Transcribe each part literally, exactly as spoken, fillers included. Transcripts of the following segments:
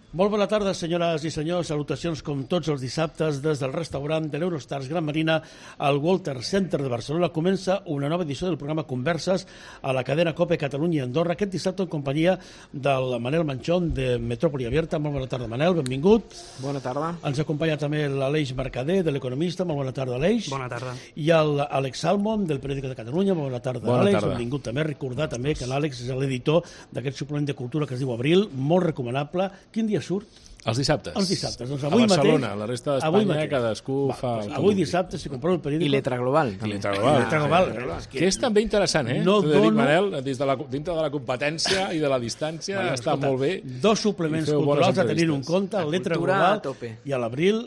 Molt bona tarda, senyores i senyors. Salutacions com tots els dissabtes des del restaurant de l'Eurostars Gran Marina al Walter Center de Barcelona. Comença una nova edició del programa Converses a la cadena COPE Catalunya i Andorra. Aquest dissabte en companyia del Manel Manchón de Metròpoli Abierta. Molt bona tarda, Manel, benvingut. Bona tarda. Ens acompanya també l'Aleix Mercader de l'Economista. Molt bona tarda, Aleix. Bona tarda. I l'Àlex Salmon del Periòdico de Catalunya. Molt bona tarda, bona Àlex. Tarda. Benvingut també. Recordar també que l'Àlex és l'editor d'aquest suplement de cultura que es diu Abril, molt recomanable. Quin dia surt? Els dissabtes. Els dissabtes. Doncs avui a Barcelona, mateix, la resta d'Espanya, cadascú Va, fa... Doncs avui dissabte, si compreu el periòdico... I Letra Global. I Letra Global. I Letra Global. Ah, que és també interessant, eh? No T'ho dono... dic, Manel, des de la, dintre de la competència i de la distància, bueno, està escolta, molt bé. Dos suplements culturals a tenir en compte, el Letra Global i a l'Abril,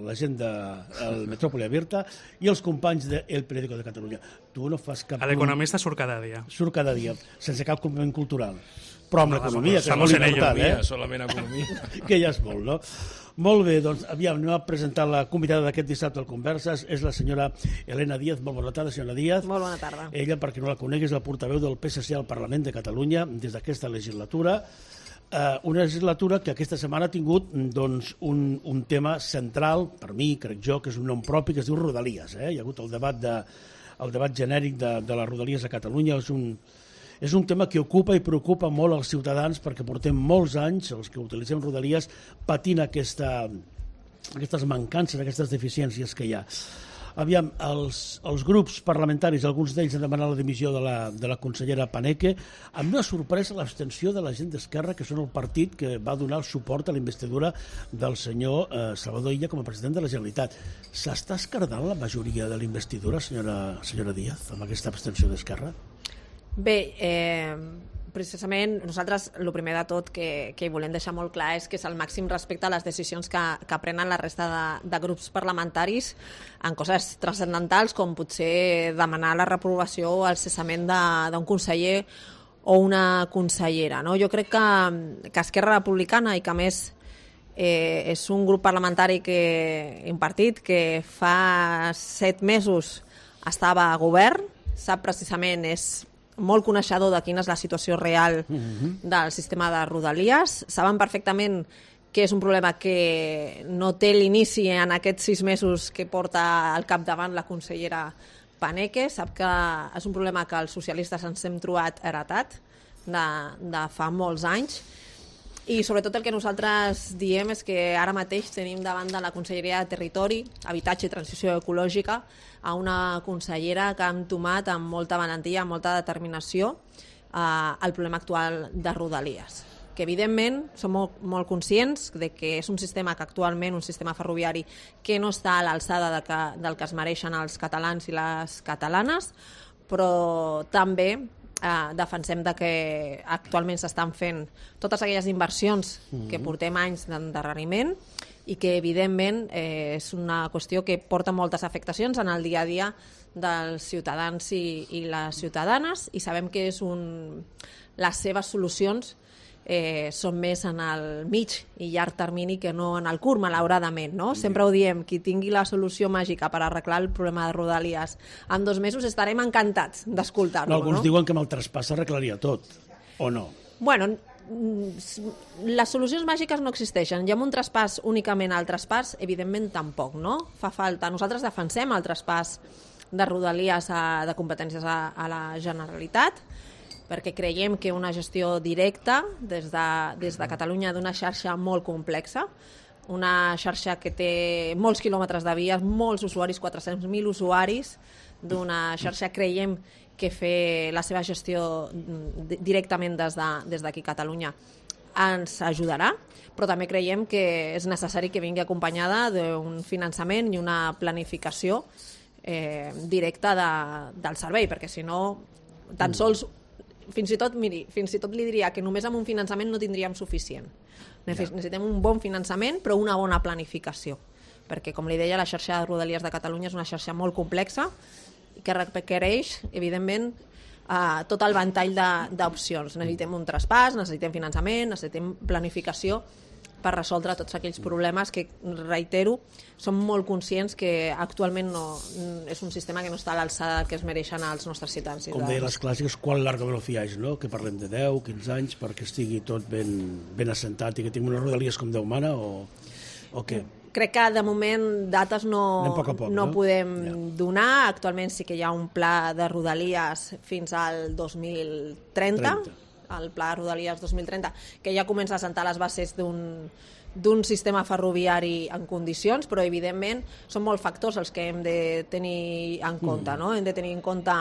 la gent del Metròpoli Abierta i els companys del Periòdico de Catalunya. Tu no fas cap... A l'Economista surt cada dia. Surt cada dia, sense cap complement cultural. Però amb l'economia, que és Estamos molt en ello. important, eh? Solament economia. Que ja és molt, no? Molt bé, doncs, aviam, anem a presentar la convidada d'aquest dissabte al Converses. És la senyora Elena Díaz. Molt bona tarda, senyora Díaz. Molt bona tarda. Ella, per qui no la conegui, és la portaveu del P S C al Parlament de Catalunya des d'aquesta legislatura. Uh, una legislatura que aquesta setmana ha tingut doncs, un, un tema central, per mi, crec jo, que és un nom propi, que es diu Rodalies. Eh? Hi ha hagut el debat, de, el debat genèric de, de les Rodalies a Catalunya. És un, és un tema que ocupa i preocupa molt els ciutadans perquè portem molts anys, els que utilitzem Rodalies, patint aquesta, aquestes mancances, aquestes deficiències que hi ha. Aviam, els, els grups parlamentaris, alguns d'ells han demanat la dimissió de la, de la consellera Paneque. A mi m'ha sorprès l'abstenció de la gent d'Esquerra, que són el partit que va donar el suport a la investidura del senyor eh, Salvador Illa com a president de la Generalitat. S'està escardant la majoria de la investidura, senyora, senyora Díaz, amb aquesta abstenció d'Esquerra? Bé, eh, precisament nosaltres el primer de tot que, que volem deixar molt clar és que és el màxim respecte a les decisions que, que prenen la resta de, de grups parlamentaris en coses transcendentals com potser demanar la reprovació o el cessament d'un conseller o una consellera. No? Jo crec que, que Esquerra Republicana i que a més eh, és un grup parlamentari, que, un partit que fa set mesos estava a govern, sap precisament, és molt coneixedor de quina és la situació real del sistema de Rodalies. Saben perfectament que és un problema que no té l'inici en aquests sis mesos que porta al capdavant la consellera Paneque. Sap que és un problema que els socialistes ens hem trobat heretat de, de fa molts anys. I sobretot el que nosaltres diem és que ara mateix tenim davant de la Conselleria de Territori, Habitatge i Transició Ecològica a una consellera que ha entomat amb molta valentia, amb molta determinació eh, el problema actual de Rodalies. Que evidentment som molt, molt conscients de que és un sistema que actualment, un sistema ferroviari que no està a l'alçada de que, del que es mereixen els catalans i les catalanes, però també Uh, defensem de que actualment s'estan fent totes aquelles inversions mm-hmm. que portem anys d'endarreriment i que evidentment eh, és una qüestió que porta moltes afectacions en el dia a dia dels ciutadans i, i les ciutadanes, i sabem que és un... les seves solucions eh, són més en el mig i llarg termini que no en el curt, malauradament, no? Sempre ho diem, qui tingui la solució màgica per arreglar el problema de Rodalies en dos mesos estarem encantats d'escoltar-lo. No, alguns no? diuen que amb el traspàs s'arreglaria tot, o no? Bueno, les solucions màgiques no existeixen. I amb un traspàs únicament al traspàs, evidentment tampoc, no? Fa falta. Nosaltres defensem el traspàs de Rodalies a, de competències a, a la Generalitat, perquè creiem que una gestió directa des de, des de Catalunya d'una xarxa molt complexa, una xarxa que té molts quilòmetres de vies, molts usuaris, quatre-cents mil usuaris, d'una xarxa creiem que fer la seva gestió directament des de, des d'aquí Catalunya ens ajudarà, però també creiem que és necessari que vingui acompanyada d'un finançament i una planificació eh, directa de, del servei, perquè si no, tan sols fins i tot, miri, fins i tot li diria que només amb un finançament no tindríem suficient. Necessitem un bon finançament, però una bona planificació, perquè, com li deia, la xarxa de Rodalies de Catalunya és una xarxa molt complexa que requereix, evidentment, eh, tot el ventall d'opcions. Necessitem un traspàs, necessitem finançament, necessitem planificació per resoldre tots aquells problemes que, reitero, som molt conscients que actualment no, és un sistema que no està a l'alçada que es mereixen els nostres ciutadans. Com deien les clàssiques, quan larga velociage, no? Que parlem de deu, quinze anys perquè estigui tot ben, ben assentat i que tingui unes rodalies com Déu mana o, o què? Crec que de moment dates no, poc poc, no, no? podem ja. donar. Actualment sí que hi ha un pla de rodalies fins al dos mil trenta, trenta. El pla de Rodalies dos mil trenta, que ja comença a assentar les bases d'un d'un sistema ferroviari en condicions, però evidentment són molts factors els que hem de tenir en compte, no? Hem de tenir en compte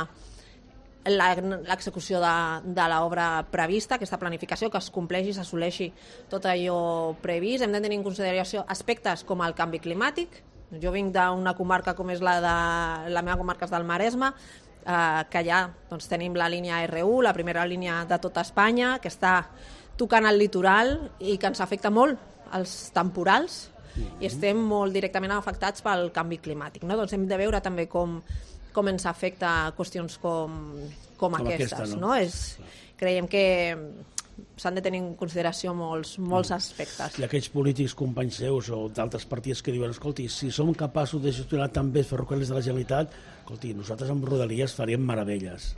l'execució de, de l'obra prevista, aquesta planificació, que es compleixi, s'assoleixi tot allò previst. Hem de tenir en consideració aspectes com el canvi climàtic. Jo vinc d'una comarca com és la de la meva comarca és del Maresme, eh, que allà doncs, tenim la línia erre u, la primera línia de tota Espanya, que està tocant el litoral i que ens afecta molt els temporals i estem molt directament afectats pel canvi climàtic. No? Doncs hem de veure també com, com ens afecta qüestions com, com, com aquestes. Aquesta, no? No? És, creiem que s'han de tenir en consideració molts, molts aspectes. I aquells polítics companys seus o d'altres partits que diuen, escolti, si som capaços de gestionar tan bé els ferrocarrils de la Generalitat, escolti, nosaltres amb Rodalies faríem meravelles.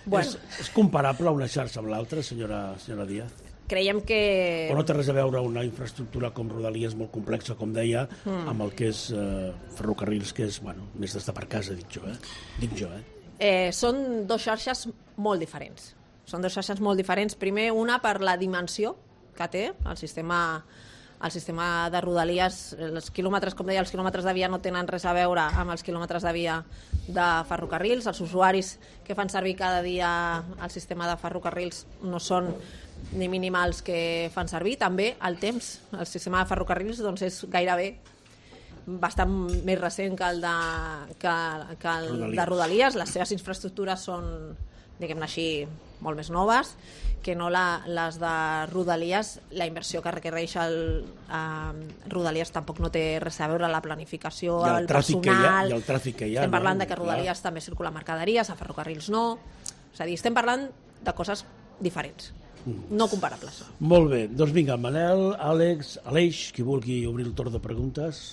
Bueno. És, és comparable una xarxa amb l'altra, senyora, senyora Díaz? Creiem que... O no té res a veure una infraestructura com Rodalies molt complexa, com deia, mm. amb el que és eh, ferrocarrils, que és, bueno, més d'estar per casa, dic jo, eh? Dic jo, eh? eh? Són dues xarxes molt diferents. Són dues xarxes molt diferents. Primer, una per la dimensió que té el sistema, el sistema de Rodalies. Els quilòmetres, com deia, els quilòmetres de via no tenen res a veure amb els quilòmetres de via de ferrocarrils. Els usuaris que fan servir cada dia el sistema de ferrocarrils no són ni mínimals que fan servir. També el temps, el sistema de ferrocarrils doncs és gairebé bastant més recent que el de, que, que el Rodalies. de Rodalies. Les seves infraestructures són, diguem-ne així, molt més noves que no la, les de Rodalies. La inversió que requereix el eh, Rodalies tampoc no té res a veure, la planificació, el, el personal. I el tràfic que hi ha. Estem parlant no? de que Rodalies clar. també circula mercaderies, a ferrocarrils no. És a dir, estem parlant de coses diferents, no comparables. Molt bé, doncs vinga, Manel, Àlex, Aleix, qui vulgui obrir el torn de preguntes,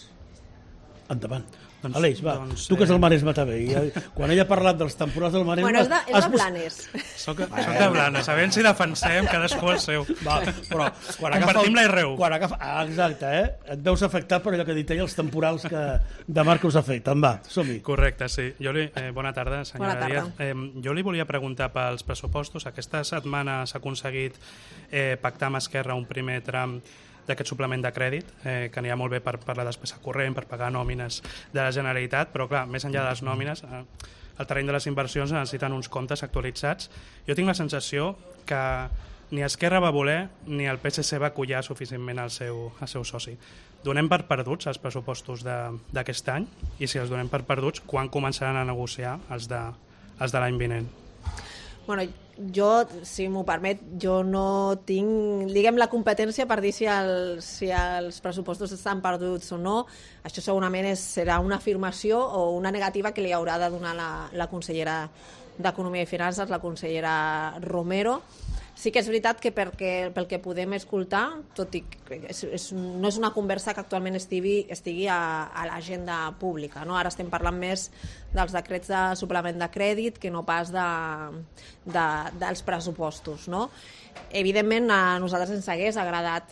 endavant. Doncs, Aleix, va, doncs, tu que és el Maresme també. I, quan ella ha parlat dels temporals del Maresme... Bueno, és de, és de Blanes. Soc, soc de Blanes, a veure si defensem cadascú el seu. Va, però quan compartim la erre u. Quan agafa, ah, exacte, eh? Et veus afectat per allò que ha dit ella, els temporals que de mar que us afecten. Va, som-hi. Correcte, sí. Jo li, eh, bona tarda, senyora bona tarda. Díaz. Eh, jo li volia preguntar pels pressupostos. Aquesta setmana s'ha aconseguit eh, pactar amb Esquerra un primer tram d'aquest suplement de crèdit, eh, que anirà molt bé per, per la despesa corrent, per pagar nòmines de la Generalitat, però clar, més enllà de les nòmines, eh, el terreny de les inversions necessiten uns comptes actualitzats. Jo tinc la sensació que ni Esquerra va voler ni el pe esse ce va acollar suficientment al seu, al seu soci. Donem per perduts els pressupostos d'aquest any i si els donem per perduts, quan començaran a negociar els de, els de l'any vinent? Bueno, jo, si m'ho permet, jo no tinc, diguem, la competència per dir si, el, si els pressupostos estan perduts o no. Això segurament és, serà una afirmació o una negativa que li haurà de donar la, la consellera d'Economia i Finances, la consellera Romero. Sí que és veritat que perquè, pel que podem escoltar, tot i que és, és, no és una conversa que actualment estigui, estigui a, a l'agenda pública. No? Ara estem parlant més dels decrets de suplement de crèdit que no pas de, de, dels pressupostos. No? Evidentment, a nosaltres ens hagués agradat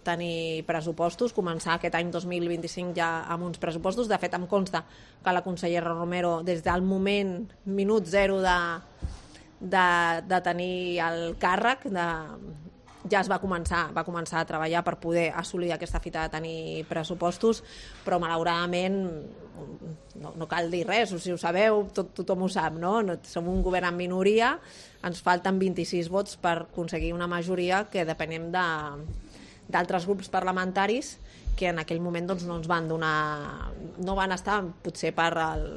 tenir pressupostos, començar aquest any dos mil vint-i-cinc ja amb uns pressupostos. De fet, em consta que la consellera Romero, des del moment, minut zero de... De, de tenir el càrrec de, ja es va començar va començar a treballar per poder assolir aquesta fita de tenir pressupostos, però malauradament no, no cal dir res, si ho sabeu tot, tothom ho sap, no? No, som un govern en minoria, ens falten vint-i-sis vots per aconseguir una majoria que depenem de, d'altres grups parlamentaris que en aquell moment doncs, no ens van donar, no van estar potser per el,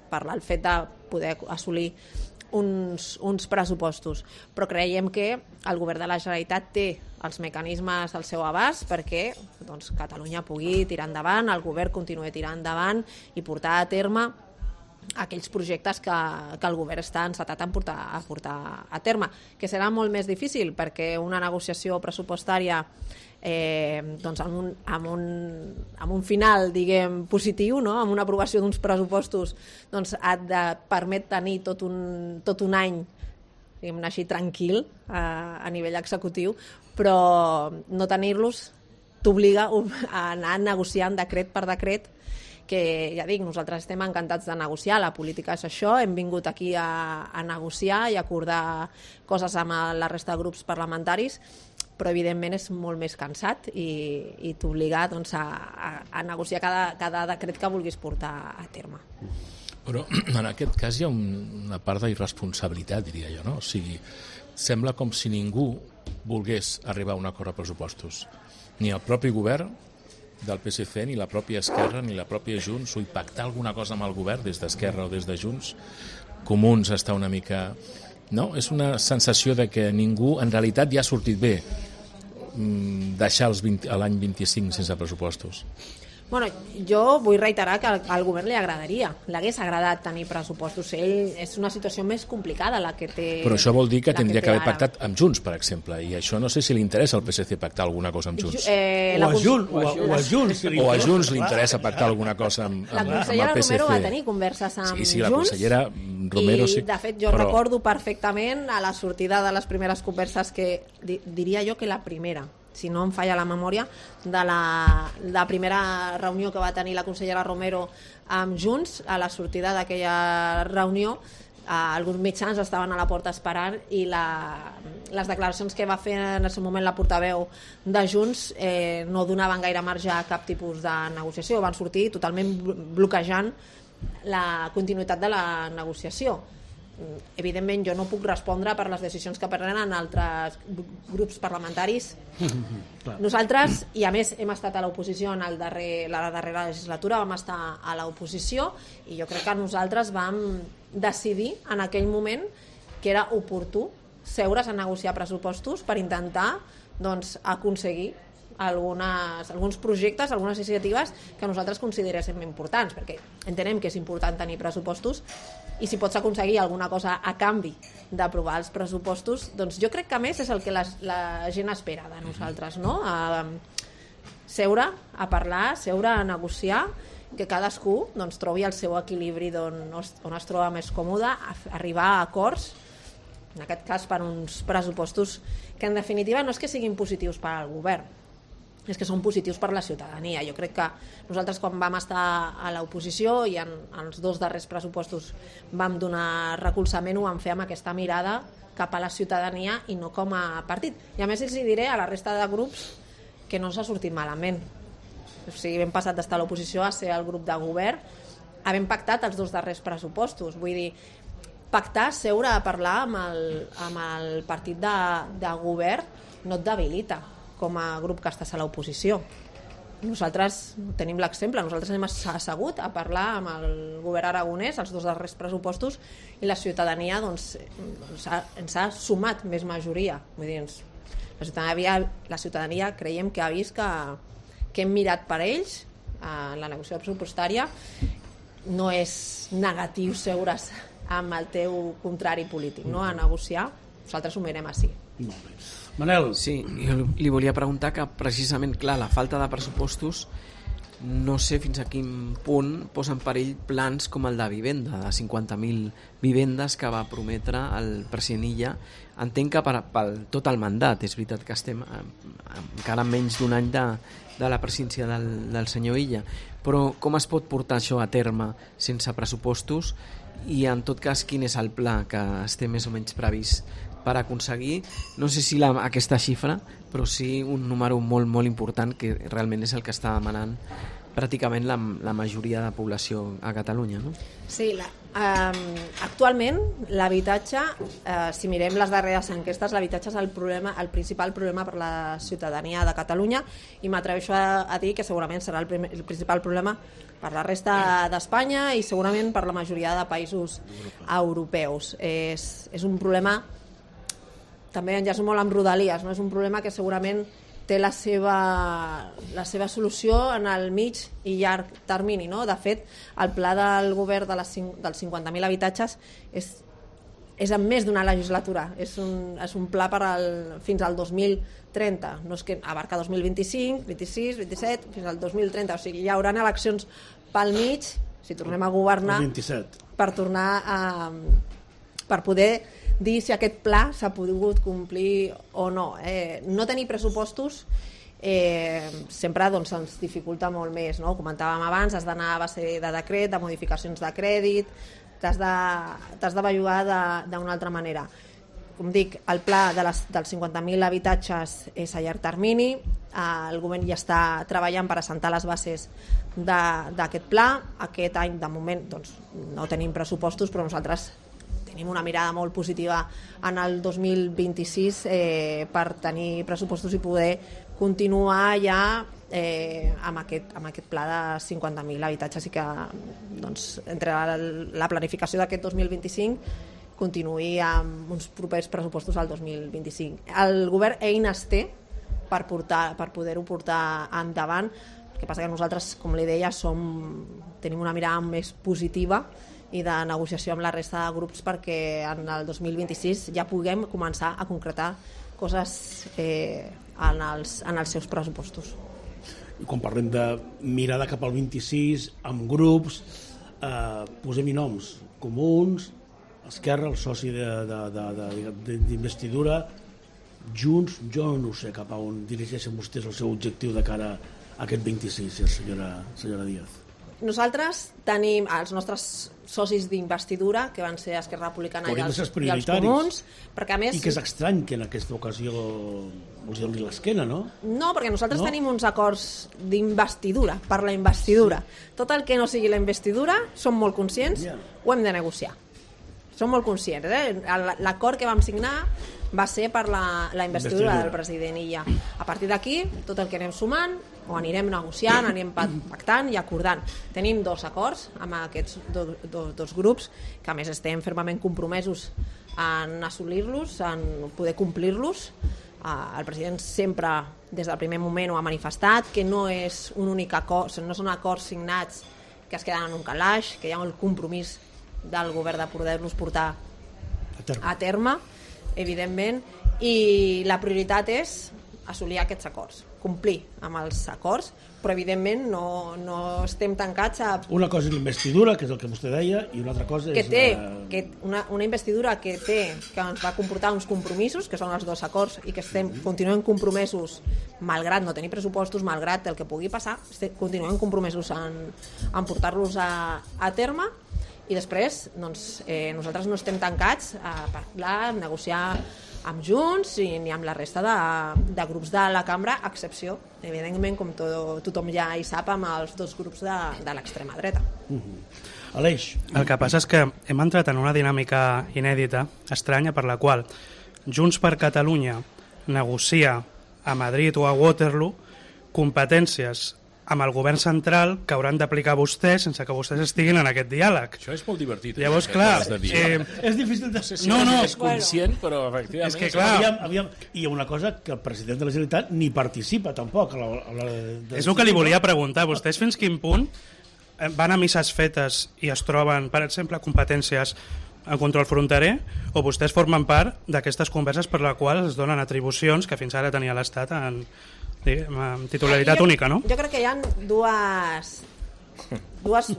per el fet de poder assolir Uns, uns pressupostos, però creiem que el govern de la Generalitat té els mecanismes al seu abast perquè doncs, Catalunya pugui tirar endavant, el govern continuï tirant endavant i portar a terme aquells projectes que, que el govern està encetat a portar, a portar a terme, que serà molt més difícil perquè una negociació pressupostària eh, doncs amb, un, amb, un, amb un final, diguem, positiu, no? Amb una aprovació d'uns pressupostos, doncs et de, permet tenir tot un, tot un any, diguem-ne així, tranquil a, a nivell executiu, però no tenir-los t'obliga a anar negociant decret per decret, que ja dic, nosaltres estem encantats de negociar, la política és això, hem vingut aquí a, a negociar i acordar coses amb la resta de grups parlamentaris, però evidentment és molt més cansat i, i t'obliga doncs, a, a, a negociar cada, cada decret que vulguis portar a terme. Però en aquest cas hi ha una part d'irresponsabilitat, diria jo, no? O sigui, sembla com si ningú volgués arribar a un acord a pressupostos. Ni el propi govern del P S C, ni la pròpia Esquerra, ni la pròpia Junts, o pactar alguna cosa amb el govern des d'Esquerra o des de Junts. Comuns està una mica... No? És una sensació de que ningú, en realitat, ja ha sortit bé deixar l'any vint-i-cinc sense pressupostos. Bueno, jo vull reiterar que al, al govern li agradaria, l'hagués agradat tenir pressupostos. Ell és una situació més complicada la que té. Però això vol dir que tindria que, que haver pactat amb Junts, per exemple, i això no sé si li interessa al P S C pactar alguna cosa amb Junts. Eh, o, a Junts, o, a, o a Junts. O a Junts li interessa pactar alguna cosa amb, amb, amb el P S C. La consellera Romero va tenir converses amb sí, sí, Junts. La consellera Romero, i, sí. de fet, jo però... recordo perfectament a la sortida de les primeres converses que, di, diria jo que la primera, si no em falla la memòria, de la, la primera reunió que va tenir la consellera Romero amb Junts. A la sortida d'aquella reunió eh, alguns mitjans estaven a la porta esperant i la, les declaracions que va fer en el seu moment la portaveu de Junts eh, no donaven gaire marge a cap tipus de negociació, van sortir totalment bloquejant la continuïtat de la negociació. Evidentment jo no puc respondre per les decisions que prenen altres grups parlamentaris. Nosaltres, i a més hem estat a l'oposició en el darrer, la darrera legislatura, vam estar a l'oposició i jo crec que nosaltres vam decidir en aquell moment que era oportú seure's a negociar pressupostos per intentar doncs, aconseguir algunes, alguns projectes, algunes iniciatives que nosaltres consideréssim importants, perquè entenem que és important tenir pressupostos i si pots aconseguir alguna cosa a canvi d'aprovar els pressupostos, doncs jo crec que a més és el que la, la gent espera de nosaltres, no? A seure, a parlar, seure a negociar, que cadascú doncs, trobi el seu equilibri on, on es troba més còmode, a arribar a acords, en aquest cas per uns pressupostos que en definitiva no és que siguin positius per al govern, és que són positius per la ciutadania. Jo crec que nosaltres quan vam estar a l'oposició i en, en els dos darrers pressupostos vam donar recolzament, ho vam fer amb aquesta mirada cap a la ciutadania i no com a partit. I a més els diré a la resta de grups que no s'ha sortit malament. O sigui, hem passat d'estar a l'oposició a ser el grup de govern, havent pactat els dos darrers pressupostos. Vull dir, pactar, seure a parlar amb el, amb el partit de, de govern no et debilita com a grup que estàs a l'oposició. Nosaltres tenim l'exemple, nosaltres hem assegut a parlar amb el govern aragonès els dos darrers pressupostos i la ciutadania doncs, ens, ha, ens ha sumat més majoria. Vull dir, ens, la, ciutadania, la ciutadania creiem que ha vist que, que hem mirat per ells en la negociació pressupostària. No és negatiu seure's amb el teu contrari polític, no? A negociar. Nosaltres ho mirem així. Molt bé. Manel. Sí, jo li volia preguntar que precisament, clar, la falta de pressupostos no sé fins a quin punt posa en perill plans com el de vivenda, de cinquanta mil vivendes que va prometre el president Illa. Entenc que per, per tot el mandat, és veritat que estem encara menys d'un any de, de la presidència del, del senyor Illa, però com es pot portar això a terme sense pressupostos i en tot cas quin és el pla que esté més o menys previst per aconseguir, no sé si la, aquesta xifra, però sí un número molt, molt important que realment és el que està demanant pràcticament la, la majoria de població a Catalunya, no? Sí, la, eh, actualment l'habitatge, eh, si mirem les darreres enquestes, l'habitatge és el, problema, el principal problema per la ciutadania de Catalunya i m'atreveixo a, a dir que segurament serà el, primer, el principal problema per la resta d'Espanya i segurament per la majoria de països europeus. És, és un problema també enllaço molt amb Rodalies, no? És un problema que segurament té la seva, la seva solució en el mig i llarg termini, no? De fet, el pla del govern de les, dels cinquanta mil habitatges és, és en més d'una legislatura, és un, és un pla per al, fins al dos mil trenta, no és que abarca dos mil vint-i-cinc, vint-i-sis, vint-i-set, fins al dos mil trenta, o sigui, hi haurà eleccions pel mig, si tornem a governar, per tornar a... per poder dir si aquest pla s'ha pogut complir o no. Eh, no tenir pressupostos eh, sempre doncs, ens dificulta molt més, no? Comentàvem abans, has d'anar a base de decret, de modificacions de crèdit, t'has de, t'has de bellugar d'una altra manera. Com dic, el pla de les, dels cinquanta mil habitatges és a llarg termini, el govern ja està treballant per assentar les bases d'aquest pla. Aquest any, de moment, doncs, no tenim pressupostos, però nosaltres tenim una mirada molt positiva en el dos mil vint-i-sis eh, per tenir pressupostos i poder continuar ja eh, amb, aquest, amb aquest pla de cinquanta mil habitatges i que doncs, entre la, la planificació d'aquest dos mil vint-i-cinc continuï amb uns propers pressupostos al dos mil vint-i-cinc. El govern eines té per, portar, per poder-ho portar endavant. El que passa que nosaltres, com li deia, som, tenim una mirada més positiva i de negociació amb la resta de grups perquè en el dos mil vint-i-sis ja puguem començar a concretar coses eh, en, els, en els seus pressupostos. I quan parlem de mirada cap al vint-i-sis, amb grups, eh, posem-hi noms comuns, Esquerra, el soci d'investidura, Junts, jo no sé cap a on dirigeixen vostès el seu objectiu de cara a aquest vint-i-sis, senyora, senyora Díaz. Nosaltres tenim els nostres socis d'investidura, que van ser Esquerra Republicana i els, i els Comuns, perquè a més... I que és estrany que en aquesta ocasió us doni l'esquena, no? No, perquè nosaltres no? tenim uns acords d'investidura, per la investidura. Tot el que no sigui la investidura, som molt conscients, yeah. Ho hem de negociar. Som molt conscients. Eh? L'acord que vam signar va ser per la, la investidura, investidura del president i ja. A partir d'aquí, tot el que anem sumant, o anirem negociant, anirem pactant i acordant. Tenim dos acords amb aquests do, do, dos grups, que a més estem fermament compromesos en assolir-los, en poder complir-los. El president sempre, des del primer moment, ho ha manifestat, que no és un únic acord, no són acords signats que es queden en un calaix, que hi ha el compromís del govern de poder-los portar a terme. a terme, evidentment, i la prioritat és assolir aquests acords, complir amb els acords, però evidentment no, no estem tancats a... Una cosa és l'investidura, que és el que vostè deia, i una altra cosa que és... Té, la... que una, una investidura que té, que ens va comportar uns compromisos, que són els dos acords, i que estem, continuem compromesos, malgrat no tenir pressupostos, malgrat el que pugui passar, estem, continuem compromesos en, en portar-los a, a terme, i després doncs, eh, nosaltres no estem tancats a parlar, a negociar amb Junts i ni amb la resta de, de grups de la cambra, a excepció, evidentment, com to, tothom ja hi sap, amb els dos grups de, de l'extrema dreta. Uh-huh. Aleix. El que passa és que hem entrat en una dinàmica inèdita, estranya, per la qual Junts per Catalunya negocia a Madrid o a Waterloo competències amb el govern central que hauran d'aplicar vostès sense que vostès estiguin en aquest diàleg. Això és molt divertit. Llavors, eh, clar... Eh, és difícil de... No sé si no, no. és conscient, bueno. Però efectivament... És que, clar... Aviam, aviam, i hi ha una cosa que el president de la Generalitat ni participa tampoc a l'hora de, de... És el que li volia preguntar. Vostès fins quin punt van a misses fetes i es troben, per exemple, competències en control fronterer, o vostès formen part d'aquestes converses per la qual es donen atribucions que fins ara tenia l'Estat en... amb titularitat jo, única, no? Jo crec que hi ha dues, dues,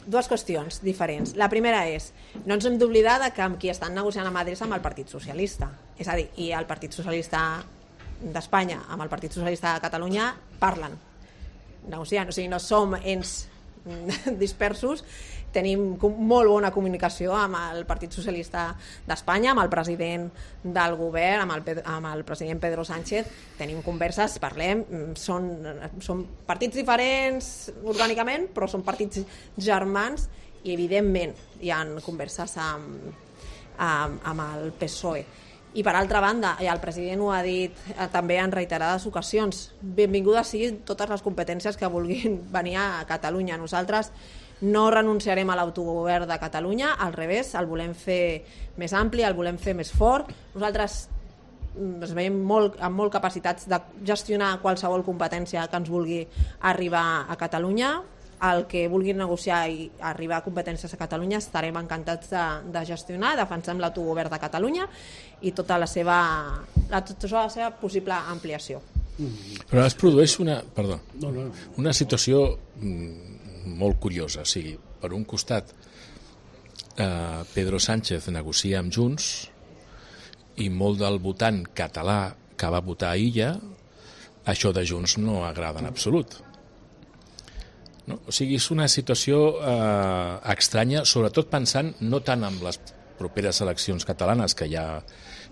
dues qüestions diferents. La primera és, no ens hem d'oblidar que amb qui estan negociant a Madrid és amb el Partit Socialista. És a dir, i el Partit Socialista d'Espanya amb el Partit Socialista de Catalunya parlen, negociant. O sigui, no som ens dispersos, tenim molt bona comunicació amb el Partit Socialista d'Espanya, amb el president del govern, amb el, amb el president Pedro Sánchez, tenim converses, parlem, són, són partits diferents orgànicament, però són partits germans i evidentment hi ha converses amb, amb, amb el P S O E. I per altra banda, i el president ho ha dit eh, també en reiterades ocasions, benvingudes siguin totes les competències que vulguin venir a Catalunya. Nosaltres no renunciarem a l'autogovern de Catalunya, al revés, el volem fer més ampli, el volem fer més fort. Nosaltres ens veiem molt, amb molt capacitats de gestionar qualsevol competència que ens vulgui arribar a Catalunya, el que vulguin negociar i arribar a competències a Catalunya estarem encantats de, de gestionar, defensem l'autogovern de Catalunya i tota la seva, la, tota la seva possible ampliació. Però es produeix una, perdó, No, no. una situació mm, molt curiosa. O sigui, per un costat, eh, Pedro Sánchez negocia amb Junts i molt del votant català que va votar a Illa, això de Junts no agrada en absolut. No? O sigui, és una situació eh, estranya, sobretot pensant no tant en les properes eleccions catalanes que hi ha,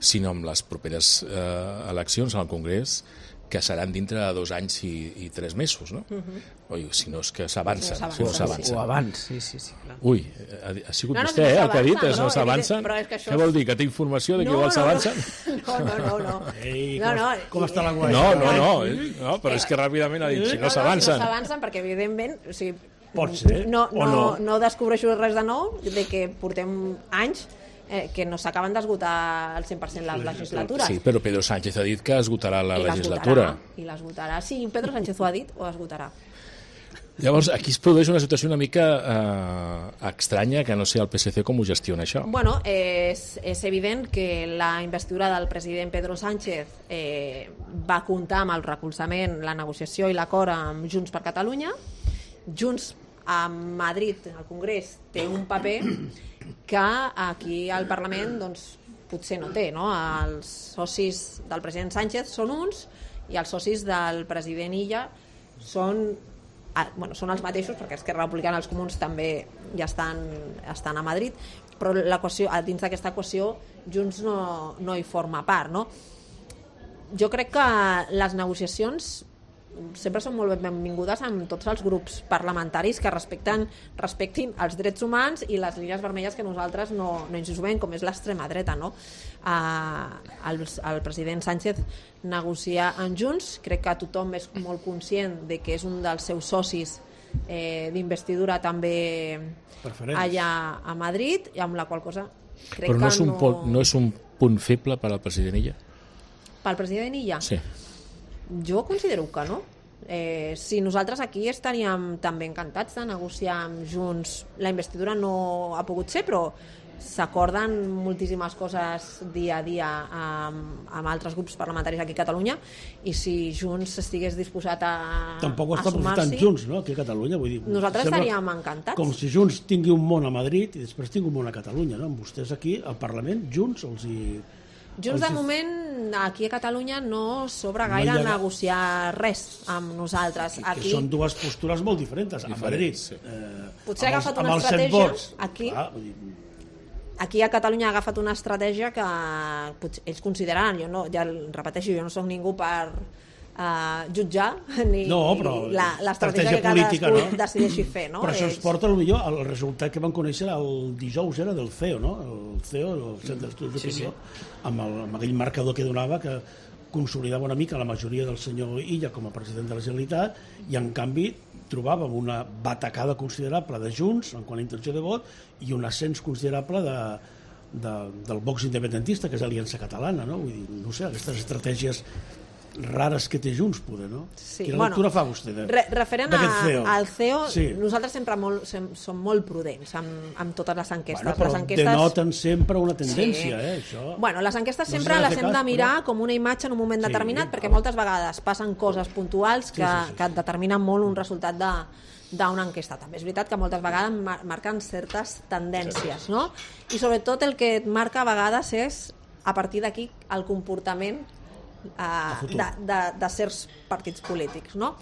sinó en les properes eh, eleccions al Congrés, que seran dintre de dos anys i, i tres mesos, no? Uh-huh. Oi, si no és que s'avancen. Si no s'avancen. O abans, sí, sí, sí. Clar. Ui, ha, ha sigut No, no, vostè, no eh, el que ha dit, s'avancen, no no, s'avancen. però és que això Què és- vol dir, que té informació de que No, igual no, s'avancen? No, no, no. no. Ei, no, com, no. com està la guai? No, no, no, eh? no, però és que ràpidament ha dit, si no No s'avancen. s'avancen perquè, evidentment, o sigui, Pot ser, no, o no, no. no descobreixo res de nou, de que portem anys eh, que no s'acaben d'esgotar al cent per cent les legislatures. Sí, però Pedro Sánchez ha dit que esgotarà la I les legislatura. votarà, I les votarà. Sí, Pedro Sánchez ho ha dit, o esgotarà. Llavors, aquí es produeix una situació una mica eh, estranya, que no sé el P S C com ho gestiona això. Bueno, és, és evident que la investidura del president Pedro Sánchez eh, va comptar amb el recolzament, la negociació i l'acord amb Junts per Catalunya. Junts a Madrid, al Congrés, té un paper que aquí al Parlament doncs, potser no té. No? Els socis del president Sánchez són uns i els socis del president Illa són, bueno, són els mateixos, perquè Esquerra Republicana i els comuns també ja estan, estan a Madrid, però l'equació, dins d'aquesta equació Junts no, no hi forma part. No? Jo crec que les negociacions sempre són molt benvingudes amb tots els grups parlamentaris que respecten, respectin els drets humans i les línies vermelles que nosaltres no, no ens sumem, com és l'extrema dreta. No? Uh, el, el president Sánchez negocia amb Junts, crec que tothom és molt conscient de que és un dels seus socis eh, d'investidura també Preferents. allà a Madrid, i amb la qual cosa crec Però no que és, un no... punt, no és un punt feble per al president Illa? Pel president Illa? Sí. Jo considero que no. Eh, si nosaltres aquí estaríem també encantats de negociar amb Junts, la investidura no ha pogut ser, però s'acorden moltíssimes coses dia a dia amb, amb altres grups parlamentaris aquí a Catalunya, i si Junts estigués disposat a, Tampoc ho a està aprofitant sumar-s'hi, Junts, no?, aquí a Catalunya. Vull dir, nosaltres sembla estaríem encantats. Com si Junts tingui un món a Madrid i després tingui un món a Catalunya, no? Amb vostès aquí, al Parlament, Junts els hi... Junts, de els hi- moment, aquí a Catalunya no sobra No gaire hi ha- negociar res amb nosaltres. Que Aquí són dues postures molt diferents. A Madrid, sí. eh, Potser ha amb els- agafat amb una els set estratègia vots, aquí. Clar, vull dir, Aquí a Catalunya ha agafat una estratègia que potser ells consideraran, jo no, ja repeteixo, jo no soc ningú per uh, jutjar ni No, però la- l'estratègia estratègia que política, cadascú no? decideixi fer. No? Però això ens Ells- porta potser al resultat que vam conèixer el dijous, era del C E O, no? El C E O, el Centre d'Estudis d'Opinió, amb, el, amb aquell marcador que donava que consolidava una mica la majoria del senyor Illa com a president de la Generalitat, i en canvi trobàvem una batacada considerable de Junts en quant a intenció de vot i un ascens considerable de, de, del Vox independentista, que és Aliança Catalana, no? Vull dir, no sé, aquestes estratègies rares que té Junts, poder, no? Sí, Quina bueno, lectura fa vostè de, Re, referent a, d'aquest C E O? al C E O, Sí. nosaltres sempre molt, sem, som molt prudents amb, amb totes les enquestes. Bueno, però les enquestes... denoten sempre una tendència, Sí. eh, això. Bueno, les enquestes No sempre s'ha de les fer hem cas, de mirar però- com una imatge en un moment Sí, determinat, perquè val. moltes vegades passen coses puntuals que, Sí, sí, sí, sí. que determinen molt un resultat de d'una enquesta. També és veritat que moltes vegades mar marquen certes tendències, no? I sobretot el que et marca a vegades és, a partir d'aquí, el comportament uh, de, de, de certs partits polítics, no?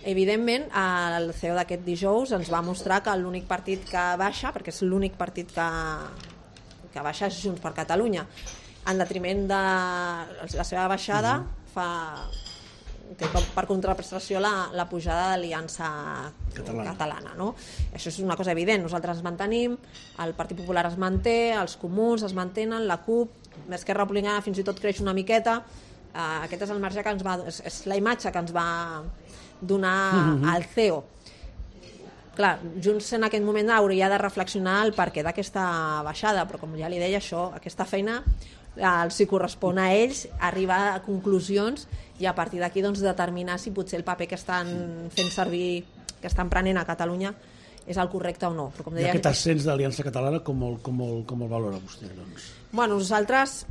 Evidentment, el C E O d'aquest dijous ens va mostrar que l'únic partit que baixa, perquè és l'únic partit que, que baixa és Junts per Catalunya, en detriment de la seva baixada, fa té com per contraprestació la, la pujada de l'Aliança Catalana. Catalana, no? Això és una cosa evident. Nosaltres ens mantenim, el Partit Popular es manté, els comuns es mantenen, la CUP, l'Esquerra Republicana fins i tot creix una miqueta. Uh, aquest és el marge que ens va, és, és la imatge que ens va donar mm-hmm. el C E O. Clar, Junts en aquest moment hauria de reflexionar el perquè d'aquesta baixada, però com ja li deia, això, aquesta feina els hi correspon a ells arribar a conclusions i a partir d'aquí doncs, determinar si potser el paper que estan fent servir que estan prenent a Catalunya és el correcte o no. Però, com deia, I aquest ascens d'Aliança Catalana com el, com el, com el valora vostè? Doncs? Bueno, nosaltres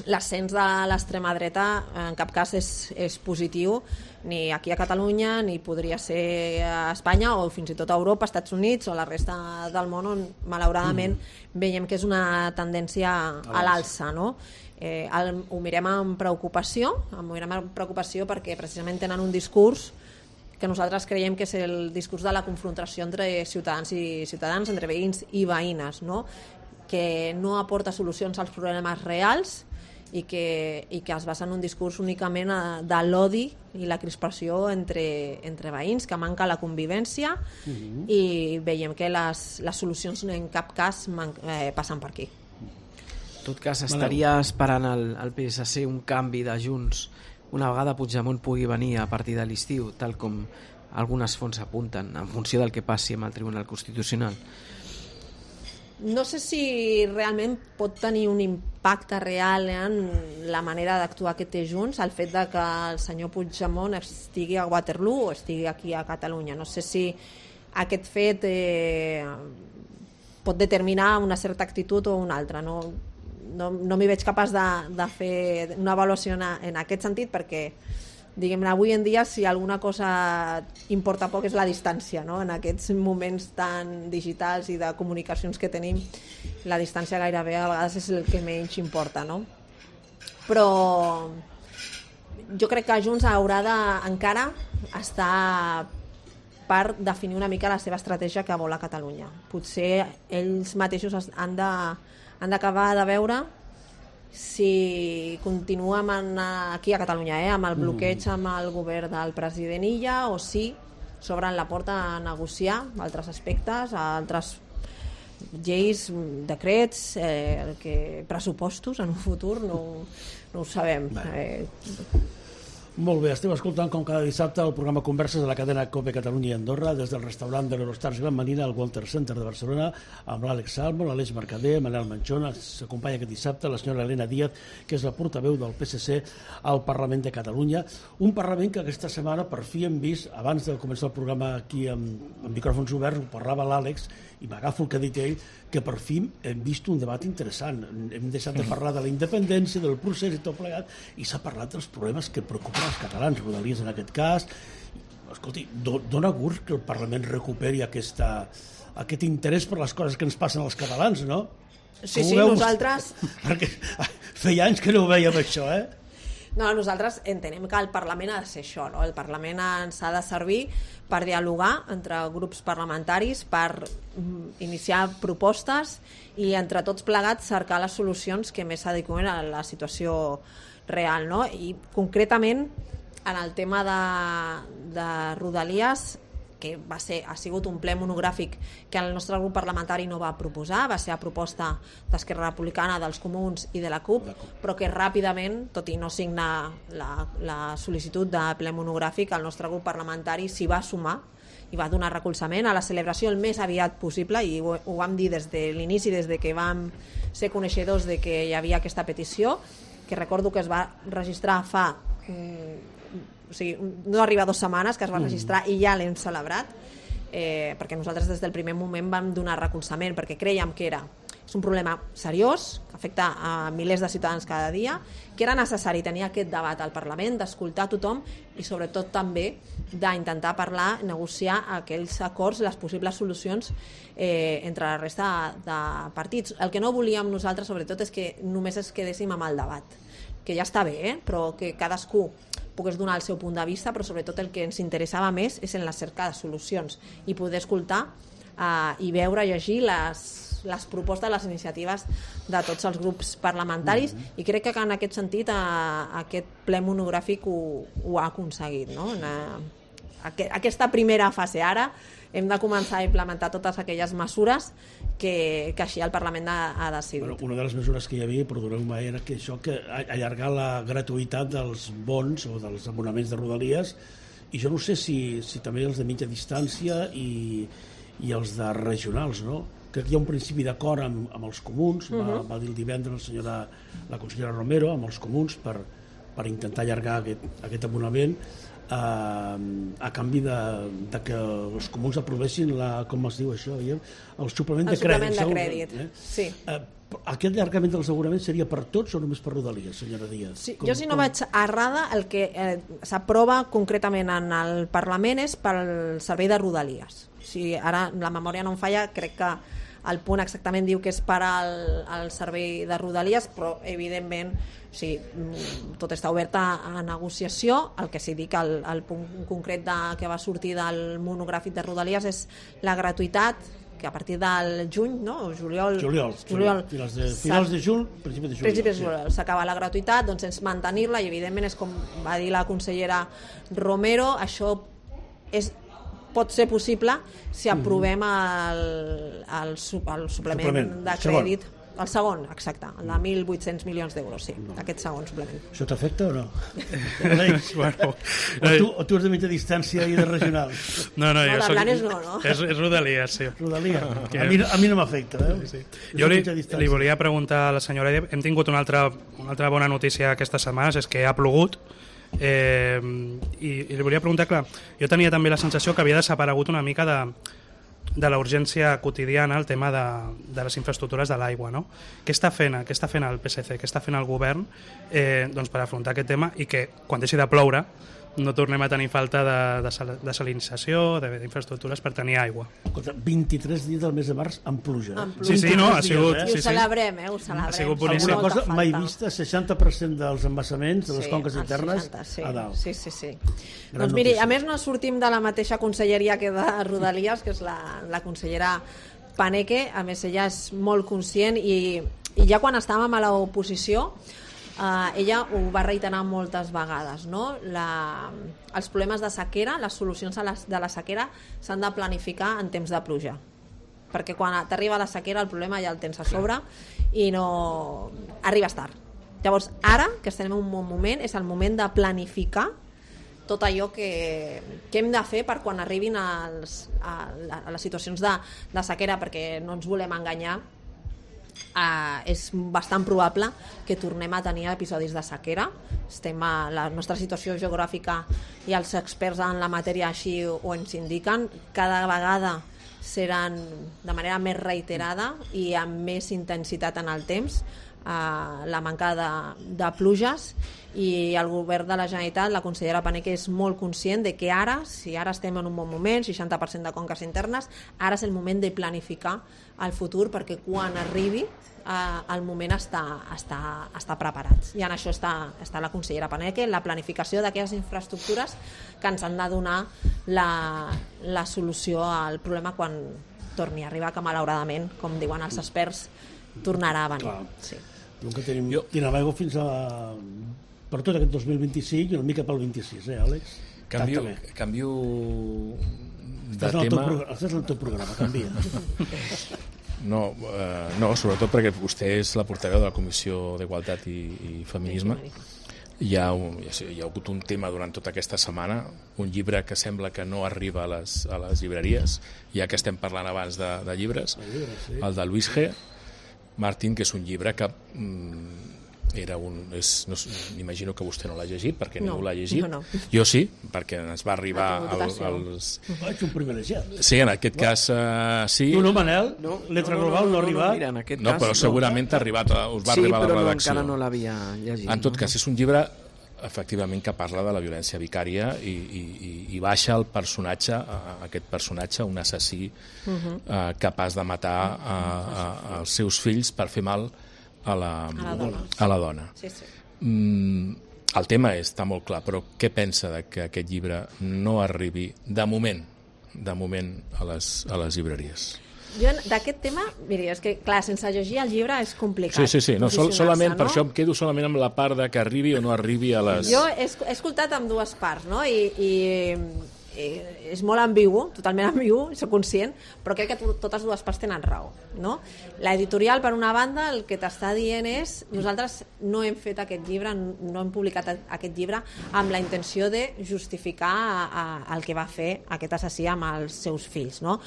l'ascens de l'extrema dreta en cap cas és, és positiu, ni aquí a Catalunya, ni podria ser a Espanya o fins i tot a Europa, Estats Units o la resta del món, on malauradament mm. veiem que és una tendència a l'alça, no? Eh, el, ho mirem amb preocupació, ho mirem amb preocupació perquè precisament tenen un discurs que nosaltres creiem que és el discurs de la confrontació entre ciutadans i ciutadans, entre veïns i veïnes, no? Que no aporta solucions als problemes reals i que, i que es basa en un discurs únicament de l'odi i la crispació entre, entre veïns, que manca la convivència uh-huh. i veiem que les, les solucions en cap cas man, eh, passen per aquí. En tot cas, estaria esperant el, el P S C un canvi de Junts una vegada Puigdemont pugui venir a partir de l'estiu, tal com algunes fonts apunten, en funció del que passi amb el Tribunal Constitucional. No sé si realment pot tenir un impacte real en la manera d'actuar que té Junts, el fet de que el senyor Puigdemont estigui a Waterloo o estigui aquí a Catalunya. No sé si aquest fet eh, pot determinar una certa actitud o una altra. No, no, no m'hi veig capaç de, de fer una avaluació en, en aquest sentit, perquè diguem, avui en dia si alguna cosa importa poc és la distància, no? En aquests moments tan digitals i de comunicacions que tenim, la distància gairebé a vegades és el que menys importa, no? Però jo crec que Junts haurà de encara estar per definir una mica la seva estratègia que vol a Catalunya. Potser ells mateixos han de, han d'acabar de veure si continuem en, aquí a Catalunya, eh, amb el bloqueig amb el govern del president Illa, o si s'obren la porta a negociar altres aspectes, altres lleis, decrets, eh, que, pressupostos en un futur, no, no ho sabem. Eh, Molt bé, estem escoltant com cada dissabte el programa Converses de la cadena COPE Catalunya i Andorra des del restaurant de l'Eurostars Gran Manina al Walter Center de Barcelona amb l'Àlex Salmo, l'Aleix Mercader, Manel Manchón. S'acompanya aquest dissabte la senyora Elena Díaz, que és la portaveu del P S C al Parlament de Catalunya. Un Parlament que aquesta setmana per fi hem vist, abans de començar el programa aquí amb, amb micròfons oberts, ho parlava l'Àlex i m'agafo el que ha dit ell, que per fi hem vist un debat interessant. Hem deixat de parlar de la independència, del procés i tot plegat, i s'ha parlat dels problemes que preocupen els catalans, Rodalies en aquest cas. Escolti, do, dona gust que el Parlament recuperi aquesta, aquest interès per les coses que ens passen als catalans, no? Sí, sí, nosaltres... Perquè feia anys que no ho veiem això, eh? No, nosaltres entenem que el Parlament ha de ser això, no? El Parlament ens ha de servir per dialogar entre grups parlamentaris, per iniciar propostes i entre tots plegats cercar les solucions que més s'adeqüen a la situació real, no? I concretament en el tema de, de Rodalies, que va ser, ha sigut un ple monogràfic que el nostre grup parlamentari no va proposar, va ser a proposta d'Esquerra Republicana, dels Comuns i de la CUP, però que ràpidament, tot i no signar la, la sol·licitud de ple monogràfic, el nostre grup parlamentari s'hi va sumar i va donar recolzament a la celebració el més aviat possible, i ho, ho vam dir des de l'inici, des de que vam ser coneixedors de que hi havia aquesta petició, que recordo que es va registrar fa... Mm, o sigui, no arriba a dues setmanes que es va registrar i ja l'hem celebrat, eh, perquè nosaltres des del primer moment vam donar recolzament, perquè creiem que era és un problema seriós, que afecta a milers de ciutadans cada dia, que era necessari tenir aquest debat al Parlament, d'escoltar tothom i sobretot també d'intentar parlar, negociar aquells acords, les possibles solucions eh, entre la resta de partits. El que no volíem nosaltres sobretot és que només es quedéssim amb el debat, que ja està bé, eh? Però que cadascú pogués donar el seu punt de vista, però sobretot el que ens interessava més és en la cerca de solucions i poder escoltar eh, i veure, llegir les, les propostes, les iniciatives de tots els grups parlamentaris, mm-hmm. i crec que en aquest sentit eh, aquest ple monogràfic ho, ho ha aconseguit, no? En, eh, aquesta primera fase. Ara hem de començar a implementar totes aquelles mesures que, que així el Parlament ha, ha decidit. Bueno, una de les mesures que hi havia, perdoneu-me, era que això, que allargar la gratuïtat dels bons o dels abonaments de Rodalies, i jo no sé si, si també els de mitja distància i, i els de regionals, no? Crec que hi ha un principi d'acord amb, amb els comuns, uh-huh. va, va dir el divendres la, senyora, la consellera Romero, amb els comuns, per, per intentar allargar aquest, aquest abonament. a canvi de, de que els comuns aprovessin la, com es diu això, el suplement el de crèdit. El suplement de crèdit, eh? sí. Eh, aquest allargament de l'assegurament seria per tots o només per Rodalies, senyora Díaz? Sí, com, jo, si no com... vaig errada, el que eh, s'aprova concretament en el Parlament és pel servei de Rodalies. O sigui, ara la memòria no em falla, crec que el punt exactament diu que és per al, al servei de Rodalies, però evidentment o sigui, tot està obert a negociació. El que sí dic, el, el punt concret de, que va sortir del monogràfic de Rodalies és la gratuïtat, que a partir del juny, no? O juliol, juliol, juliol finals de, finals de juny, principi de juliol, principi de juliol sí. S'acaba la gratuïtat, doncs és mantenir-la, i evidentment és com va dir la consellera Romero, això és pot ser possible si aprovem el, el, el suplement, suplement de crèdit, el segon, exacte, el de mil vuit-cents milions d'euros, sí, no. Aquest segon suplement. Això t'afecta o no? bueno, o, tu, o tu ets de mitja distància i de regional? No, no, no jo soc... Blanes no, no? És, és Rodalies, sí. Rodalies, a mi, a mi no m'afecta, eh? Sí, sí. Jo li, li volia preguntar a la senyora, hem tingut una altra, una altra bona notícia aquestes setmanes, és que ha plogut, Eh, i, i li volia preguntar, clar, jo tenia també la sensació que havia desaparegut una mica de, de la urgència quotidiana, el tema de, de les infraestructures de l'aigua, no? Què està fent, què està fent el P S C, què està fent el govern eh, doncs per afrontar aquest tema i que quan deixi de ploure no tornem a tenir falta de, de, sal, de salinització, d'infraestructures per tenir aigua. vint-i-tres dies del mes de març amb pluja. Amb pluja. Sí, sí, no, ha sigut... Dies, eh? sí, I ho celebrem, eh? Ho celebrem. Ha sigut boníssim. Alguna cosa mai vista, seixanta per cent dels embassaments de les sí, conques internes seixanta, sí. a dalt. Sí, sí, sí. Doncs miri, a més no sortim de la mateixa conselleria que de Rodalies, que és la, la consellera Paneque, a més ella és molt conscient i, i ja quan estàvem a l'oposició Uh, ella ho va reiterar moltes vegades, no? La, els problemes de sequera, les solucions a les, de la sequera s'han de planificar en temps de pluja, perquè quan t'arriba la sequera el problema ja el tens a sobre i no arribes tard. Llavors ara que estem en un bon moment és el moment de planificar tot allò que, que hem de fer per quan arribin als, a, a les situacions de, de sequera, perquè no ens volem enganyar. Uh, és bastant probable que tornem a tenir episodis de sequera. Estem a la nostra situació geogràfica i els experts en la matèria així ho ens indiquen. Cada vegada seran de manera més reiterada i amb més intensitat en el temps uh, la manca de, de pluges, i el govern de la Generalitat, la consellera Paneque, és molt conscient de que ara, si ara estem en un bon moment, seixanta per cent de conques internes, ara és el moment de planificar el futur, perquè quan arribi eh, el moment està, està, està preparats. I en això està, està la consellera Paneque, en la planificació d'aquelles infraestructures que ens han de donar la, la solució al problema quan torni a arribar, que malauradament, com diuen els experts, tornarà a venir. Sí. Que tenim, jo... tenim aigua fins a... per tot aquest dos mil vint-i-cinc i una mica pel vint-i-sis, eh, Àlex? Canvio, canvio de estàs tema... Teu, estàs en el teu programa, canvia. No, eh, no, sobretot perquè vostè és la portaveu de la Comissió d'Igualtat i, i Feminisme. Hi ha, un, hi ha hagut un tema durant tota aquesta setmana, un llibre que sembla que no arriba a les, a les llibreries, ja que estem parlant abans de, de llibres, el, llibre, sí. el de Luis G. Martín, que és un llibre que... Mm, era un, és, no, m'imagino que vostè no l'ha llegit perquè no, ningú l'ha llegit, no, no. Jo sí, perquè ens va arribar al, als... Vaig un privilegiat. Sí, en aquest no. cas uh, sí. Tu no, Manel? No, Letra no, no, Global no, no, no ha arribat? No, mira, en aquest no cas, però segurament no. t'ha arribat, us va sí, arribar a la redacció. Sí, però encara no l'havia llegit. En tot cas, és un llibre efectivament que parla de la violència vicària i, i, i baixa el personatge, aquest personatge, un assassí uh -huh. uh, capaç de matar uh, uh, els seus fills per fer mal a la, a la dona. A la dona. Sí, sí. Mm, el tema està molt clar, però què pensa de que aquest llibre no arribi de moment, de moment a les, a les llibreries? Jo d'aquest tema, miri, és que clar, sense llegir el llibre és complicat. Sí, sí, sí, no, sol, solament, no? Per això em quedo solament amb la part de que arribi o no arribi a les... Jo he, he escoltat amb dues parts, no? I, i, i és molt ambigu, totalment ambigu, soc conscient, però crec que totes dues parts tenen raó, no? L'editorial, per una banda, el que t'està dient és nosaltres no hem fet aquest llibre, no hem publicat aquest llibre amb la intenció de justificar a, a, el que va fer aquest assassí amb els seus fills, no?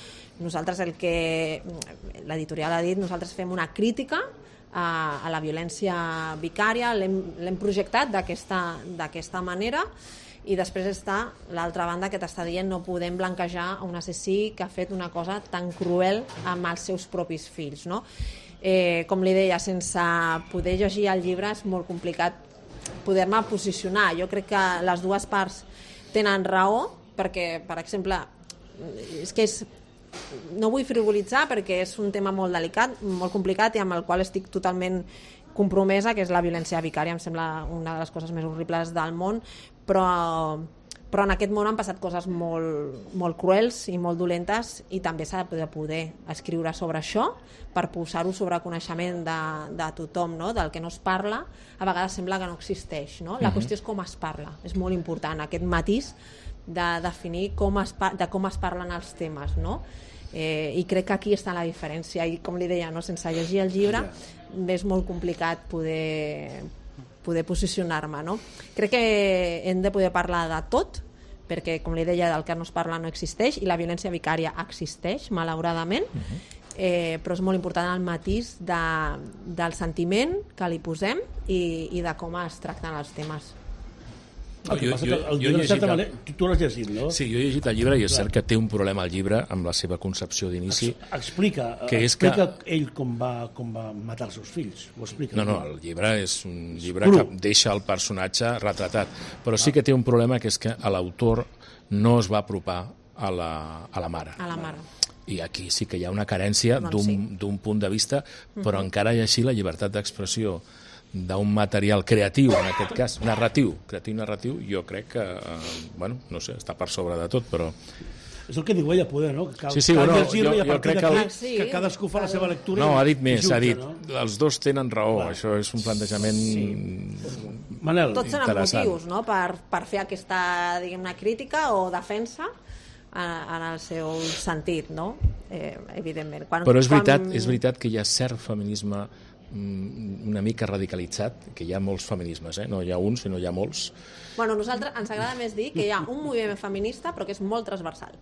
Nosaltres el que l'editorial ha dit, nosaltres fem una crítica a, a la violència vicària, l'hem projectat d'aquesta d'aquesta manera i després està l'altra banda que t'està dient no podem blanquejar un assassí que ha fet una cosa tan cruel amb els seus propis fills, no? Eh, com li deia, sense poder llegir el llibre és molt complicat poder-me posicionar. Jo crec que les dues parts tenen raó, perquè, per exemple, és que és, no vull frivolitzar perquè és un tema molt delicat, molt complicat i amb el qual estic totalment compromesa, que és la violència vicària. Em sembla una de les coses més horribles del món, però, però en aquest món han passat coses molt, molt cruels i molt dolentes i també s'ha de poder escriure sobre això per posar-ho sobre coneixement de, de tothom, no? Del que no es parla, a vegades sembla que no existeix, no? La qüestió és com es parla, és molt important aquest matís de definir com es, de com es parlen els temes, no? Eh, i crec que aquí està la diferència i com li deia, no? Sense llegir el llibre és molt complicat poder, poder posicionar-me, no? Crec que hem de poder parlar de tot, perquè com li deia, del que no es parla no existeix i la violència vicària existeix, malauradament, eh, però és molt important el matís de, del sentiment que li posem i, i de com es tracten els temes. El que passa que el llibre, de certa manera, tu, tu l'has llegit, no? Sí, jo he llegit el llibre i és cert que té un problema el llibre amb la seva concepció d'inici. Explica, que és explica que... ell com va, com va matar els seus fills. Ho explica. No, no, el llibre és un llibre que deixa el personatge retratat, però sí que té un problema, que és que l'autor no es va apropar a la, a la mare. A la mare. I aquí sí que hi ha una carència d'un sí. d'un punt de vista, però uh-huh. encara i així la llibertat d'expressió d'un material creatiu, en aquest cas, narratiu, creatiu-narratiu, jo crec que, eh, bueno, no sé, està per sobre de tot, però... És el que diu ella, poder, no? Que cal, sí, sí, cal bueno, llegir-lo i a jo partir crec que, d'aquí el... sí, que cadascú fa la seva lectura. No, ha dit més, jutge, ha dit, no? els dos tenen raó, clar. Això és un plantejament sí. Manel, tots tenen motius, no?, per, per fer aquesta, diguem-ne, crítica o defensa en, en el seu sentit, no? Eh, evidentment. Quan, Però és veritat, quan... és veritat que hi ha cert feminisme una mica radicalitzat, que hi ha molts feminismes, eh? No hi ha un, sinó hi ha molts. Bueno, a nosaltres ens agrada més dir que hi ha un moviment feminista però que és molt transversal.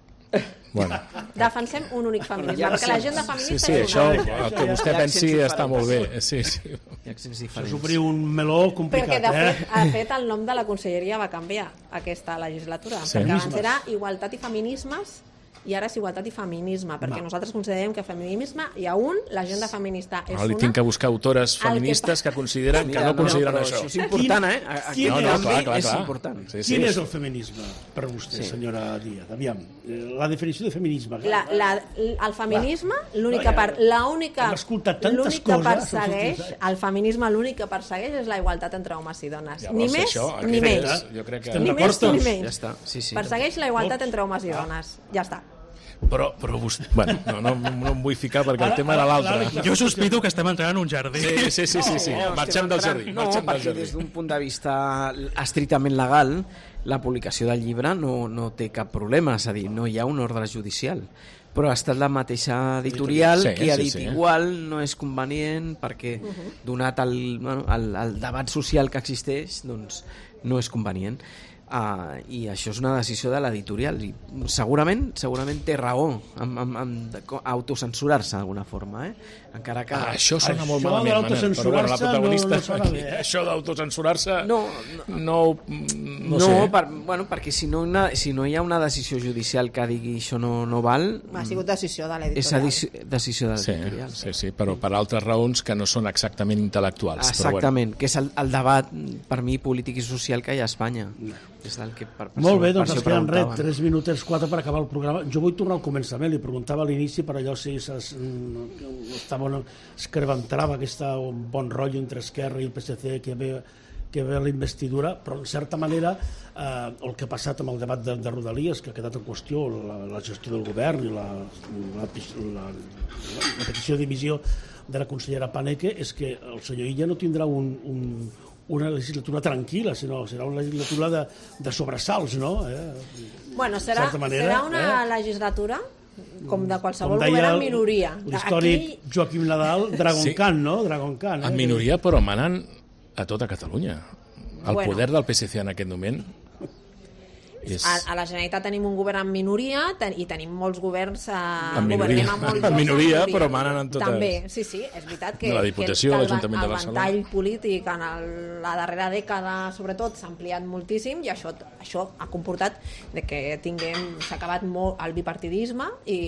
Bueno. Defensem un únic feminisme, Ja, perquè sí. l'agenda feminista Sí, sí, és això, una... el que vostè pensi està molt bé. Sí, sí. Això és obrir un meló complicat, perquè de fet, eh? de fet el nom de la conselleria va canviar aquesta legislatura, Sí. perquè abans era Igualtat i Feminismes i ara és Igualtat i Feminisme, perquè Va. nosaltres considerem que feminisme hi ha un, l'agenda feminista és No, li una... tinc que buscar autores feministes que consideren que no consideren però això. Això és important, eh? Aquí Quin- no, quin no, és- clar, clar, és clar. important. Sí, sí. Quin és el feminisme per vostè, sí. senyora Díaz? Aviam, la definició de feminisme. La, la, el feminisme, l'única No, ja- part, l'única hem escoltat tantes l'únic que coses, persegueix, saps? el feminisme l'únic que persegueix és la igualtat entre homes i dones. Llavors, ni més això, ni aquest menys. és- jo crec que- Estem Ni d'acord més ni tots? menys. Ja està, sí, sí. Persegueix la igualtat entre homes i dones. Ja està. Però, però vostè... Bueno, no, no, no em vull ficar perquè el Ara- tema era ara- l'altre. ara- Jo sospito que estem entrant en un jardí. Sí, sí, sí, sí, sí. No, Marxem estem del entrant- jardí. No, Marxem del perquè jardí. des d'un punt de vista estrictament legal, la publicació del llibre no, no té cap problema, és a dir, no hi ha un ordre judicial. Però ha estat la mateixa editorial Sí, qui ha sí, dit sí. igual no és convenient perquè, donat el, bueno, el, el debat social que existeix, doncs no és convenient. Uh, i això és una decisió de l'editorial i segurament segurament té raó en, en, en autocensurar-se d'alguna forma, eh? Encara que... Ah, això sona Això molt de malament, Manel, però bueno, la l'autocenssurar-se protagonista no- no sona aquí, bé, eh? això d'autocensurar-se No, no, no, no, no, sé. per, bueno, perquè si no, una, si no hi ha una decisió judicial que digui això no, no val, Ha sigut decisió de és l'editorial. edici- decisió de Sí, l'editorial. sí, sí, però per altres raons que no són exactament intel·lectuals. Exactament, que és el, el debat per mi polític i social que hi ha a Espanya. És el que per, per Molt bé, això- doncs per ens això queden res, preguntaven. tres minutets, quatre per acabar el programa. Jo vull tornar al començament, li preguntava a l'inici per allò si es, mm, estava, es creventrava aquest bon rotllo entre Esquerra i el P S C que ve, que ve la investidura, però en certa manera eh, el que ha passat amb el debat de, de Rodalies, que ha quedat en qüestió la, la gestió del govern i la, la, la, la petició de dimissió de la consellera Paneque, és que el senyor Illa no tindrà un, un, una legislatura tranquil·la, sinó serà una legislatura de, de sobresalts, no? Eh? Bueno, serà, certa manera, serà una eh? legislatura com de qualsevol Com deia govern en el- minoria. l'històric Aquí, Joaquim Nadal, Dragon Sí. Khan, no? Dragon Khan. Eh? En minoria, però manant a tota Catalunya. El Bueno. poder del P S C en aquest moment... És... A, a la Generalitat tenim un govern en minoria ten, i tenim molts governs eh, en minoria, a molts en minoria però manen en totes. També, sí, sí, és veritat que, la Diputació, que el, l'Ajuntament de el Barcelona. ventall polític en el, la darrera dècada sobretot s'ha ampliat moltíssim i això, això ha comportat de que tinguem, s'ha acabat molt el bipartidisme i,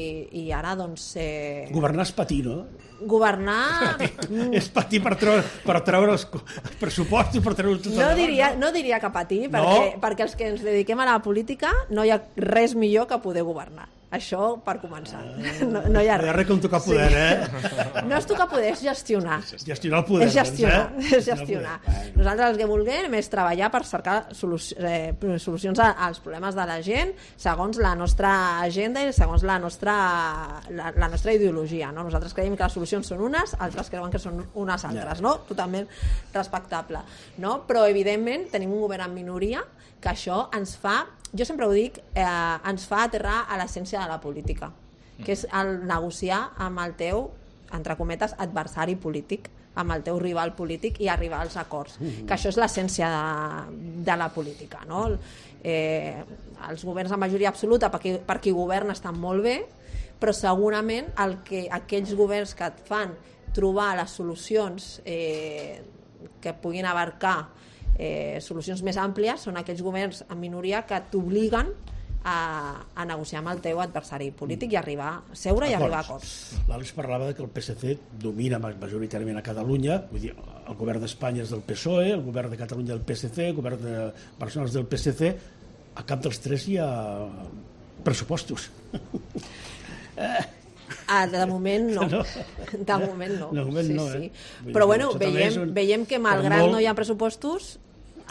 i ara doncs... Eh... Governar és patir, no? Governar... És patir per treure, per treure els, els pressupostos, per treure tot no diria, no diria que patir, perquè, no. perquè els que ens dediquem a la política no hi ha res millor que poder governar. Això per començar. No, no hi ha res. No hi ha res com tocar poder, sí. eh? No és tocar poder, és gestionar. Gestionar el poder. És gestionar. Doncs, eh? És gestionar. Nosaltres el que vulguem és treballar per cercar soluci eh, solucions als problemes de la gent segons la nostra agenda i segons la nostra, la, la nostra ideologia. No? Nosaltres creiem que les solucions són unes, altres creuen que són unes altres. No? Totalment respectable. No? Però, evidentment, tenim un govern en minoria que això ens fa, jo sempre ho dic, eh, ens fa aterrar a l'essència de la política, que és el negociar amb el teu, entre cometes, adversari polític, amb el teu rival polític i arribar als acords, mm-hmm. que això és l'essència de, de la política. No? Eh, els governs de majoria absoluta per qui, per qui governa estan molt bé, però segurament el que, aquells governs que et fan trobar les solucions eh, que puguin abarcar Eh, solucions més àmplies són aquells governs en minoria que t'obliguen a, a negociar amb el teu adversari polític i arribar a seure i arribar a acords. L'Àlex parlava de que el P S C domina majoritàriament a Catalunya, vull dir, el govern d'Espanya és del P S O E, el govern de Catalunya del P S C, el govern de Barcelona és del P S C, a cap dels tres hi ha pressupostos. Ah, de moment no. no. De moment no. De moment sí, no, sí. eh? Però bueno, veiem, un... veiem que malgrat molt... no hi ha pressupostos,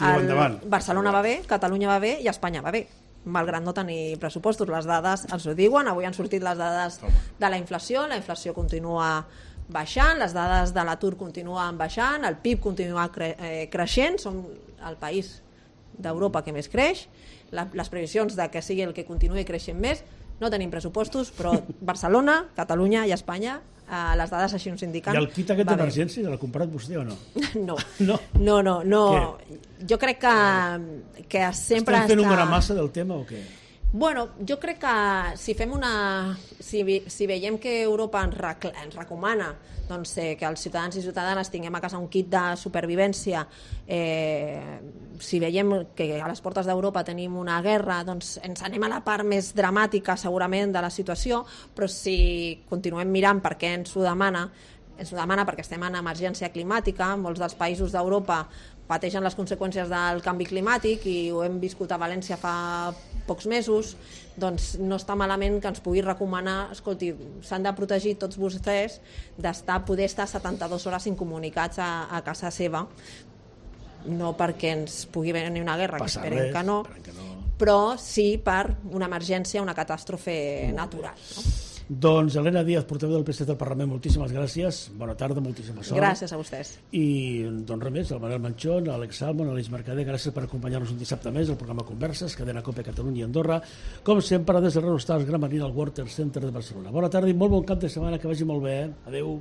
el... Barcelona va bé, Catalunya va bé i Espanya va bé. Malgrat no tenir pressupostos, les dades ens ho diuen, avui han sortit les dades de la inflació, la inflació continua baixant, les dades de l'atur continuen baixant, el P I B continua cre eh, creixent, som el país d'Europa que més creix, la, les previsions de que sigui el que continuï creixent més. No tenim pressupostos, però Barcelona, Catalunya i Espanya, eh, les dades així ens indiquen... I el kit aquest d'emergència l'ha comprat vostè o no? No, no, no, no. no. Jo crec que, que sempre Estem fent està... una massa del tema o què? Bueno, jo crec que si fem una... Si, si veiem que Europa ens, rec... ens recomana doncs, eh, que els ciutadans i ciutadanes tinguem a casa un kit de supervivència, eh, si veiem que a les portes d'Europa tenim una guerra, doncs ens anem a la part més dramàtica segurament de la situació, però si continuem mirant per què ens ho demana, ens ho demana perquè estem en emergència climàtica, molts dels països d'Europa pateixen les conseqüències del canvi climàtic i ho hem viscut a València fa pocs mesos, doncs no està malament que ens pugui recomanar, escolti, s'han de protegir tots vostès d'estar, poder estar setanta-dues hores incomunicats a, a casa seva, no perquè ens pugui venir una guerra, Passa que esperem res, que no, que no, però sí per una emergència, una catàstrofe natural. No? Doncs Elena Díaz, portaveu del P S C del Parlament, moltíssimes gràcies, bona tarda, moltíssima sort. Gràcies a vostès. I doncs res més, el Manel Manchón, l'Àlex Salmon, l'Aleix Mercader, gràcies per acompanyar-nos un dissabte més al programa Converses, cadena COPE Catalunya i Andorra, com sempre des del Renostal Gran Marina al Water Center de Barcelona. Bona tarda i molt bon cap de setmana, que vagi molt bé. Eh? Adéu.